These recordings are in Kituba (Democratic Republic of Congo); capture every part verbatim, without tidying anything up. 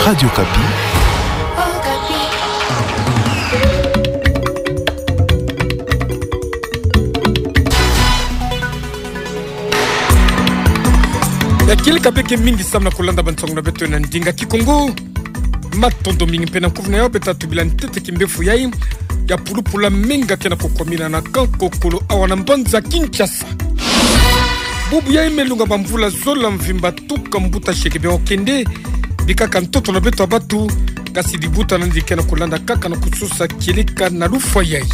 Radio Okapi. Ya kieleka beke mingi samu na kulanda bansango na beto na ndinga Kikongo. Matondo mingi mpe na kuvuna ya beto tubila ntete kimbefo yai ya pulupulu menga ke na kukwamina na Kankokolo awa na mbanza Kinshasa. Bubu yai me lunga bamvula zola mvimba tuka mbuta sheke be okende, bikaka ntoto na beto ya batu, kasi dibuta nandi ke na kulanda kaka na kusosa kieleka na lufwa yai.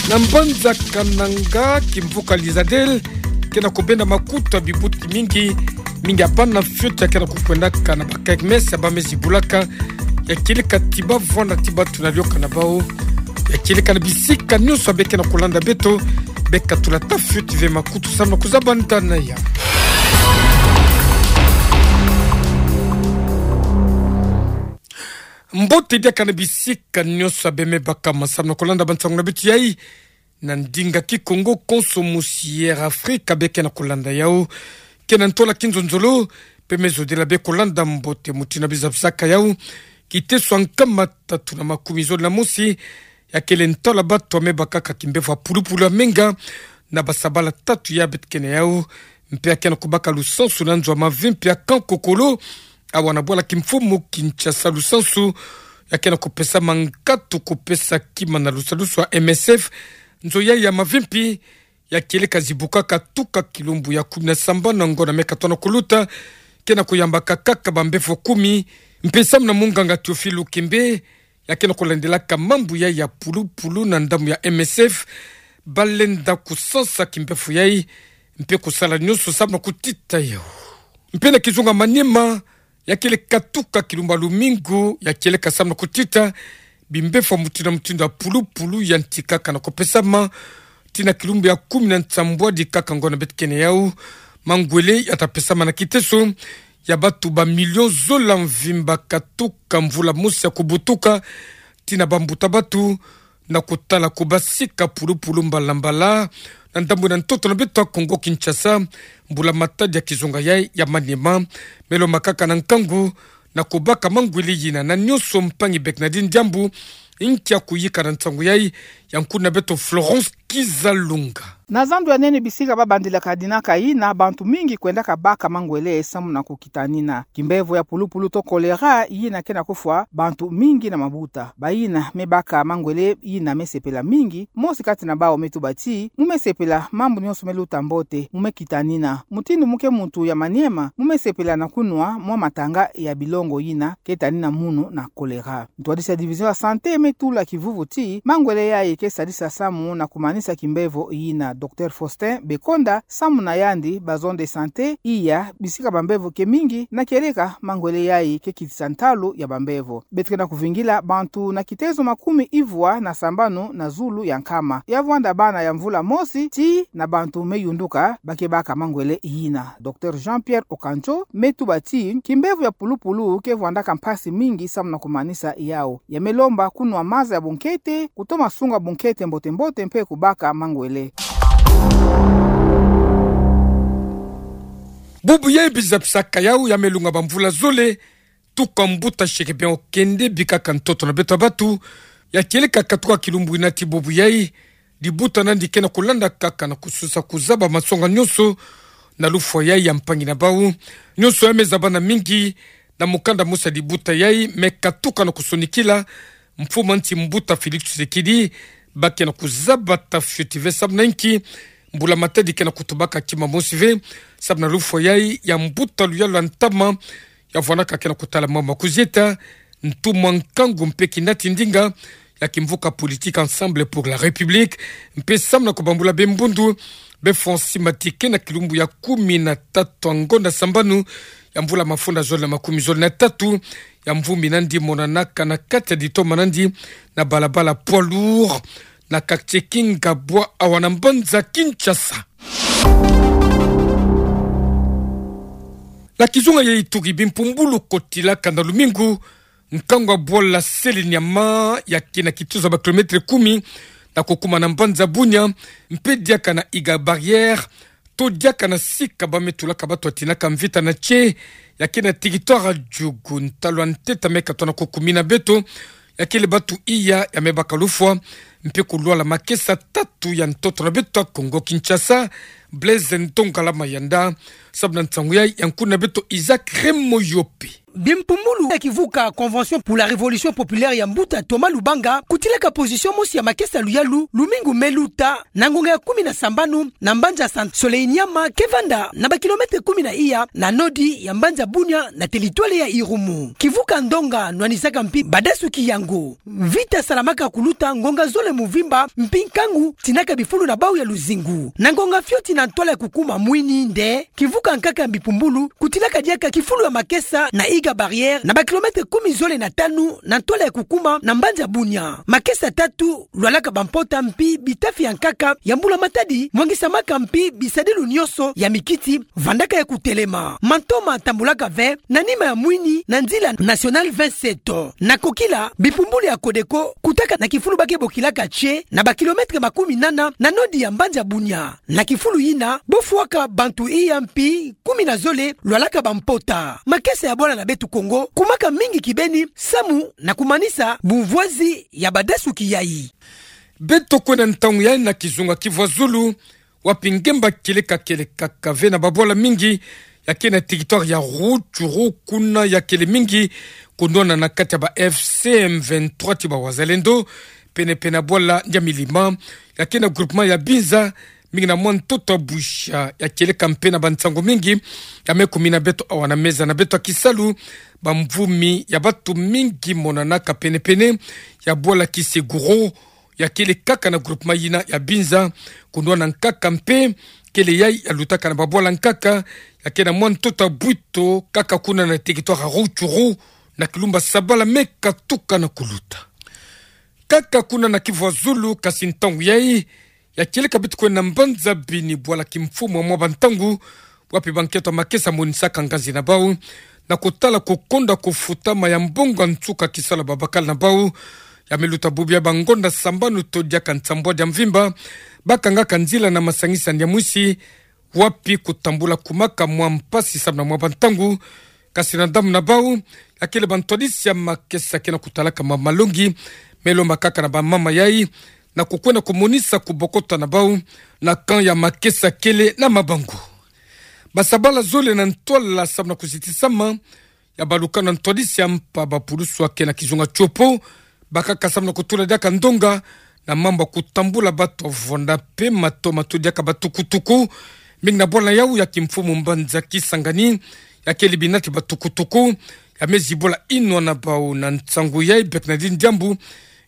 Na mbanza Kananga, kimvuka Lizadel ke na kubenda makutu ya bibuti mingi, mingi ya bana fioti ya ke na kukwendaka na ba kermesse ya ba me zibulaka, ya kieleka ti ba vwanda ti batu na lioka na bau, ya kieleka na bisika nionso ya be ke na kulanda beto, be katula ta fioti ve makutu samu na kuzaba ntana ya. Mbote diaka na bisika nionso ya be me baka ma samu na kulanda bansango na beto yai na ndinga Kikongo, konso musi Air Africa be ke na kulanda yau ke na ntola kinzonzolo, mpe me zodila be kulanda mbote. Mutindu biza bisaka yau, kiteso ya nkama tatu na makumi zole na mosi ya kele ntwala batu ya me bakaka kimbefo ya pulupulu ya menga na basabala tatu ya beto ke na yau, mpe ya ke na kubaka lusansu na nzo ya mavimpi ya Kankokolo awa na bwala kimfumu Kinshasa. Lusansu ya ke na kupesama nkatu kupesa kima na lusalusu ya M S F. Nzo yai ya mavimpi ya kieleka zibukaka tuka kilumbu ya kumi na sambanu na ngonda me katona kuluta, ke na kuyambaka kaka bambefo kumi, mpe samu na munganga Théophile Lukembe, ya ke na kulandilaka mambu yai ya pulupulu na ndambu ya M S F, balenda kusansa kimbefo yai, mpe kusala nionso samu na kutita yau. Mpe na kizunga Maniema, ya kieleka tuka kilumbu ya lumingu, ya kieleka samu na kutita bimbefo ya mutindu na mutindu ya pulupulu yantikaka na kupesama, tii na kilumbu ya kumi na nsambwadi kaka ngonda beto ke na yau. Mangwele ya ta pesama na kiteso ya batu ba million zola mvimba katuka mvula mosi ya kubutuka, tii na bambuta batu, na kutala kubasika pulupulu mbalambala na ndambu na ntoto na beto ya Kongo Kinshasa. Mbula matadi ya kizunga yai ya Maniema, me lombama kaka na nkangu na kubaka mangwele yina. Na nionso mpangi beke na diambu, nkia kuyika na nsangu yai, ya nkuna beto Florence Kizalunga. Na zandu ya nene bisika ba bandilaka dinaka yina, bantu mingi kwendaka baka mangwele samu na kukitanina kimbevo ya pulupulu to choléra yina ke na kufwa bantu mingi na mabuta. Bayina me baka mangwele yina me sepela mingi. Mosi kati na bawu me tuba ti mu me sepela mambu nionso me luta mbote, mu me kitanina. Mutindu mu ke muntu ya Maniema, mu me sepela na kunwa mwa matanga ya bilongo yina ke tanina munu na choléra. Ntwadisi ya division ya santé me tula kivuvu ti mangwele yai ke sadisa samu na kumanisa kimbevo yina. Docteur Faustin Bekonda, samu na yandi ba zone de santé iya bisika bambevo ke mingi, na kieleka mangwele yai ke kitisa ntalu ya bambevo. Beto ke na kuvingila bantu na kitezo makumi ivwa na sambanu na zulu ya nkama ya vwanda bana ya mvula mosi tii na bantu me yunduka ba ke baka mangwele yina. Docteur Jean-Pierre Okancho me tuba ti kimbevo ya pulupulu ke vwandaka mpasi mingi samu na kumanisa yau. Ya me lomba kunwa maza ya bunkete, kutoma sunga bunkete mbote-mbote mpe kubaka mangwele. Bubu yai biza bisaka yau ya me lunga bamvula zole tuka mbuta sheke be okende, bikaka ntoto na beto ya batu, ya kieleka katuka kilumbu yina tii bubu yai, dibuta nandi ke na kulanda kaka na kusosa kuzaba masonga nionso na lufwa yai ya mpangi na bawu. Nionso ya me zabana mingi na mukanda mosi ya dibuta yai me katuka na kusonikila mfumu a nsi mbuta Félix Tshisekedi, ba ke na kuzaba ta fioti ve samu na nki mbula matadi ke na kutubaka kima mosi ve samu na lufwa yai ya mbuta luyalu ya ntama ya vwanaka ke na kutala mambu ma kuzieta, ntumwa nkangu mpe kinati ndinga ya kimvuka politique Ensemble pour la République, mpe samu na kubambula be mbundu be fonsi matike na kilumbu ya kumi na tatu ya ngonda sambanu ya mvula mafunda zole na makumi zole na tatu ya mvumbi nandi monanaka na kati ya ditoma nandi na balabala poids lourd na quartier Kingabwa awa na mbanza Kinshasa. Na kizunga ya Ituri, bimpumbulu kotilaka na lumingu nkangu ya bwala Sele Nyama ya ke na kituzu ya ba kilomètre kumi na kukuma na mbanza Bunia, mpe diaka na Iga Barrière, to diaka na sika ba me tulaka bato ya tinaka mvita na tie, ya ke na territoire ya Djugu, ntalu a ntete me ka tona ko kumina beto, ya kele batu iya ya me baka lufwa, mpe kulwala makesa tatu ya ntoto na beto ya Kongo Kinshasa, Blaise Ntongalama Yanda, sababu na nsangu yayi ya nkuna beto Isaac Remoyope. Bimpumbulu ya kivuka Convention pour la Révolution Populaire ya mbuta Thomas Lubanga, kutilaka position mosi ya makesa luyalu, lumingu me luta, na ngonga ya kumi na sambanu, na mbanza Santa Soleinyama, ke vanda na ba kilomètre kumi na iya na nodi ya mbanza Bunia na territoire ya Irumu. Kivuka ndonga nwanisaka mpi badasuki yango. Vita salamaka kuluta ngonga zole muvimba, mpi nkangu tinaka bifulu na bau ya luzingu. Na ngonga fioti na ntwala ya kukuma mwini nde, kivuka nkaka ya Bimpumbulu kutilaka diaka kifulu ya makesa na Iga Barrière, na ba kilomètre kumi zole na tanu na ntwala ya kukuma na mbanza Bunia. Makesa tatu lwalaka bampota mpi bitafi ya nkaka ya Mbula Matadi mwangisamaka mpi bisadilu nyonso ya mikiti vandaka ya kutelema. Mantoma tambulaka ve na nima ya mwini na nzila nationale vingt-sept. Na kokila, Bimpumbulu ya Codeco kutaka na kifulu ba ke bokilaka Tche, na ba kilomètre makumi nana na nodi ya mbanza Bunia. Na kifulu yina, bo fwaka bantu iya mpi kumi na zole lwalaka bampota. Makesa ya bwala na beto Kongo kumaka mingi kibeni samu na kumanisa bumvwazi ya badasuki yayi. Beto kwenda ntangu yayi na kizunga Kivu ya zulu, wapi ngemba kieleka kieleka kaka ve na babwala mingi ya ke na territoire ya Rutshuru, kuna ya kele mingi kunwana na kati ya ba F C M vingt-trois ti ba Wazalendo, pene pene ya bwala Nyamilima, ya ke na groupement ya Binza, mingi na mwa ntoto ya Bwisha, ya kieleka mpe na bansangu mingi ya me kumina beto awa na meza na beto ya kisalu. Bamvumi ya batu mingi monanaka pene pene ya bwala Kiseguro, ya kele kaka na groupement yina ya Binza, kunwana nkaka mpe kele yayi ya lutaka na babwala nkaka ya ke na mwa ntoto ya Bwito, kaka kuna na territoire ya Rutshuru, na kilumbu ya sabala me katuka na kuluta. Kaka kuna na Kivu ya zulu, kasi ntangu yayi ya kieleka beto kwenda na mbanza Beni, bwala kimfumu ya mwa bantangu, wapi bankento ya makesa monisaka nganzi na bau na kutala kukonda kufutama ya mbongo ya nsuka kisalu ya babakala na bau, ya me luta bubu ya bangonda sambanu to diaka nsambwadi ya mvimba, bakangaka nzila na masangisani ya mwisi, wapi kutambula kumaka mwa mpasi samu na mwa bantangu. Kasi na ndambu na bau, ya kele bantwadisi ya makesa ke na kutalaka mwa malongi me lomba kaka na bamama yayi na kukwenda kumonisa kubokota na bau na camp ya makesa kele na mabangu. Basabala zole na ntwala samu na kuzitisama ya balukanu ya ntwadisi ya mpa, bapulusu ya ke na kizunga Tshopo bakaka samu na kutula diaka ndonga na mambu ya kutambula batu ya vwanda mpe mato mato diaka batukutuku, mingi na bwala yau ya kimfumu mbanza Kisangani, ya kele bina ti batukutuku, ya me zibula inwa na bau. Na nsangu yayi, Bernardine Diambu,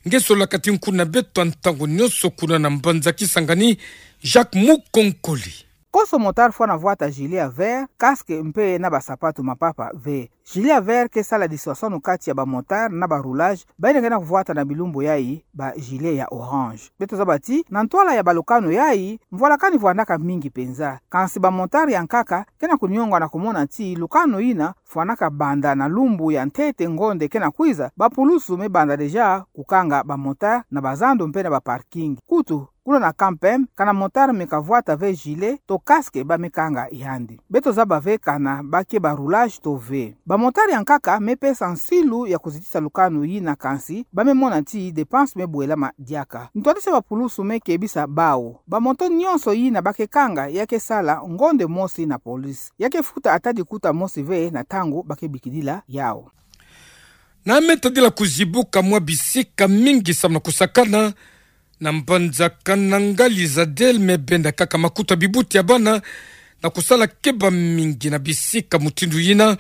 nge sololaka ti nkuna beto ya ntangu nyonso kuna na mbanza Kisangani, Jacques Mukonkoli. Konso motard fwana vwata gilet ya vert, casque mpe na basapatu mapapa ve. Gilet ya vert ke sala dissuasion na kati ya bamotard na baroulage, bayina ke na kuvwata na bilumbu yayi ba gilet ya orange. Beto zaba ti, na ntwala ya balukanu yayi, mvwalakani vwandaka mingi penza. Kansi bamotard ya nkaka ke na kunionga na kumona ti lukanu yina fwanaka banda na lumbu ya ntete ngonde ke na kwiza, bapulusu me banda déjà kukanga bamotard na bazandu mpe na baparking. Kutu, kuna na camp M, kana motard me kavwata ve gilet to casque, ba me kanga yandi. Beto zaba ve kana ba ke baroulage to ve. Bamotard ya nkaka me pesa nsilu ya kuzitisa lukanu yina, kansi ba me mona ti dépense me bwelama diaka. Ntwadisi ya bapulusu me kebisa bau: bamoto nyonso yina ba ke kanga, ya ke sala ngonde mosi na police. Ya ke futa ata likuta mosi ve na ntangu ba ke bikidila yau. Na me tadila kuzibuka mwa bisika mingi samu na kusakana, na mbanza Kananga, Lizadel me benda kaka makuta bibuti ya bana na kusala keba mingi na bisika mutindu yina,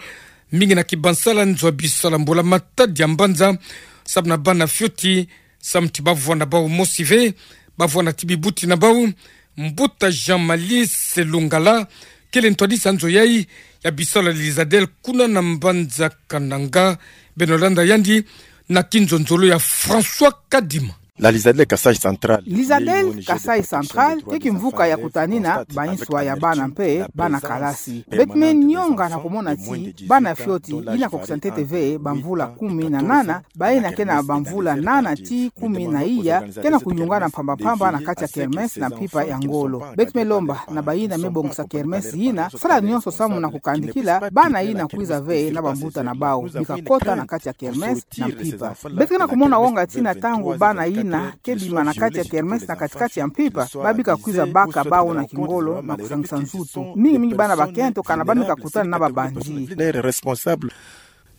mingi na kibansala nzo ya bisala Mbula Matadi ya mbanza, samu na bana fioti, samu ti bavwanda bau mosi ve, bavwanda ti bibuti na bau. Mbuta Jean Malice Lungala, kele ntwadisi ya nzo yayi ya bisala Lizadel kuna na mbanza Kananga, beno landa yandi na kinzonzolo ya François Kadima. La Lizadel Kasaï Central, Lizadel Kasaï Central, ke kimvuka ya kutanina banswa ya bana mpe bana kalasi. Beto me nyonga na kumona ti bana fioti ina kukisa ntete ve bamvula kumi na nana, bayina ke na bamvula nana tii kumi na iya, ke na kuyungana mpamba mpamba na kati ya kermesse na mpimpa ya ngolo. Beto me lomba na bayina me bongisa kermesse yina, sala nyonso samu na kukandikila bana yina kwiza ve na bambuta na bau, bika kota na kati ya kermesse na mpimpa. Beto ke na kumona wonga tina ntangu bana yina ke bima na kati ya kermesse na kati-kati ya mpimpa, ba bika kwiza baka bau na kingolo na kusangisa nzutu. Mingi mingi bana bakento kana ba me kakutana na babandi.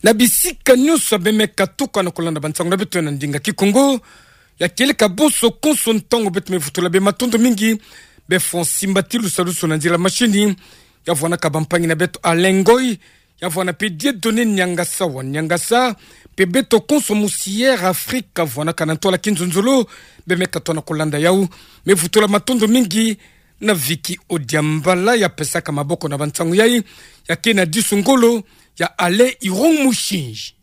Na bisika nyonso bê me katuka na kulanda bansangu na beto na ndinga Kikongo, ya kieleka bonso konso ntangu beto me vutula bê matondo mingi, bê Francis Mbati Lusalusu na nzila machine, ya vwanaka bampangi na beto Alain Ngoy, ya vwana mpe Dieudonné Niangasa wa Niangasa, mpe beto konso musi Air Afrique, ya vwanaka na ntwala kinzonzolo, bê me katuka na kulanda yau, me vutula matondo mingi na Vicky Odiambala, ya pesaka maboko na bansangu yai, ya ke na disu ngolo, ya Alain Irong Mushinji.